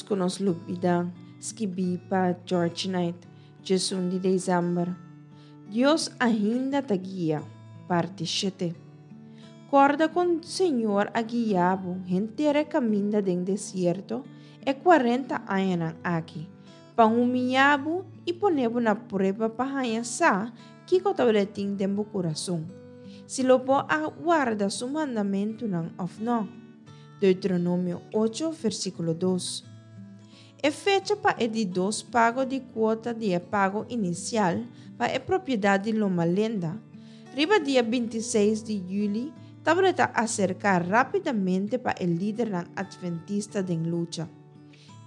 ku nos lubidá, skibí pa George Knight, 11 di desèmber. Dios ainda ta guia, parti shete. Kòrda kon Señor a guia bo henter e kaminda den desierto e kuarenta añanan aki, pa humiyá bo i pone bo na prueba pa haña sa kiko tabata tin den bo kurason, si lo bo a warda su mandamentunan òf nò. Deuteronomio ocho, versíkulo dos. E fecha pa e di dos pago di kuota di e pago inisial pa e propiedat di Loma Linda, riba dia 26 di yüli, tabata ta aserká rápidamente pa e lidernan atventista den lucha.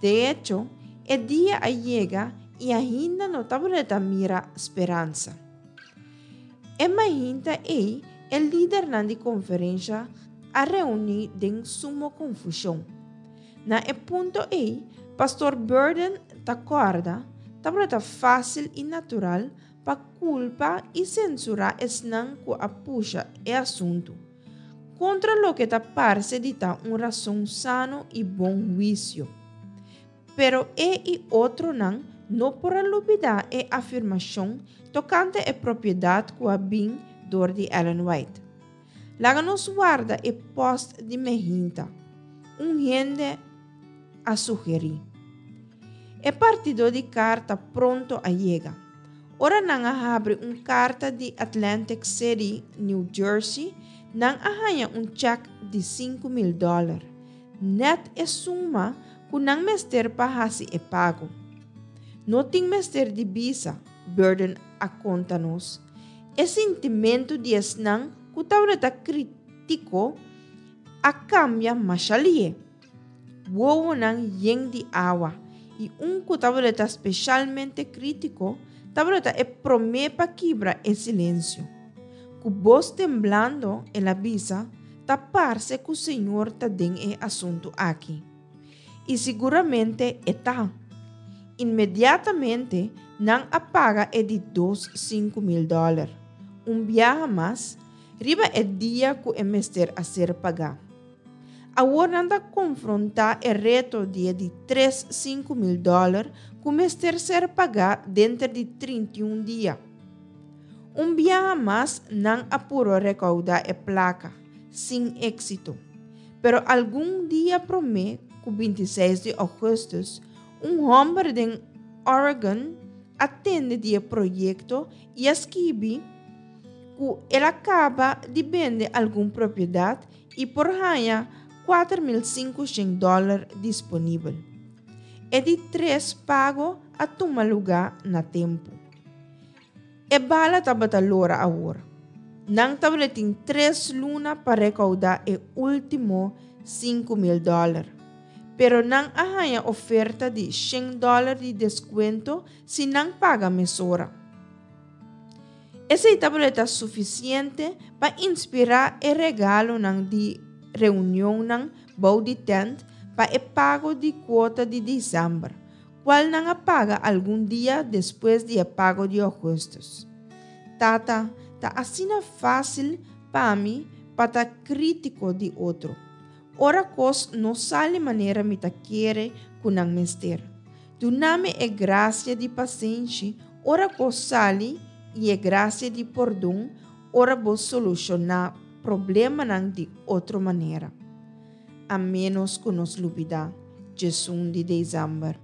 De echo, e dia a yega i ainda no tabata ta mira speransa. E mainta ei, e lidernan di konferensha a reuní den sumo konfushon. Na e punto ei, Pastor Burden ta kòrda, tabata fásil i natural pa kulpa i sensurá esnan ku a pusha e asuntu, kontra loke ta parse di ta un rason sano i bon huisio. Pero e i otronan no por a lubidá e afirmashon tokante e propiedat ku a bin dor di Ellen White. Laga nos warda e pòst di mehinta, un hende a sugerí. E partidó di karta pronto a yega. Ora nan a habri un karta di Atlantic City, New Jersey, nan a haña un chèk di 5000 dòler, nèt e suma ku nan mester pa hasi e pago. No tin mester di bisa, Burden a konta nos. E sintimentu di esnan ku tabata krítiko a kambia masha lihé. Wowonan yen di awa i un ku tabata speshalmente krítiko tabata e promé pa kibra e silensio. Ku bos temblando el a bisa, Ta parse ku Señor ta den e asuntu aki. I siguramente e ta. Inmediatamente nan a paga e di dos 5000 dòler, un biaha mas, riba e dia ku e mester a ser pagá. Awor nan ta konfrontá e reto di e di tres 5000 dòler ku mester ser pagá denter di 31 dia. Un biaha mas nan a puro rekoudá e plaka, sin éksito. Pero algun dia promé ku 26 di ougùstùs, un hòmber den Oregon a tende di e proyekto i a skibi ku el a kaba di bende algun propiedat i por haña 4500 dòler disponibel. E di tres pago a tuma lugá na tempu. E bala tabata lora awor. Nan tabatin 3 luna pa rekoudá e último 5000 dòler. Pero nan a haña oferta di 100 dòler di deskuento si nan paga mesora. Esei tabata sufisiente pa inspirá e regalonan di reunionnan bou di tènt pa e pago di kuota di desèmber, kual nan a paga algun dia despues di e pago di ougùstùs. Tata, ta asina fásil pa mi pa ta krítiko di otro, ora kos no sali manera mi ta kere ku nan mester. Duna mi e grasia di pasenshi ora kos sali i e grasia di pordon ora bo solushoná problemanan di otro manera. A ménos ku nos lubidá 11 di desèmber.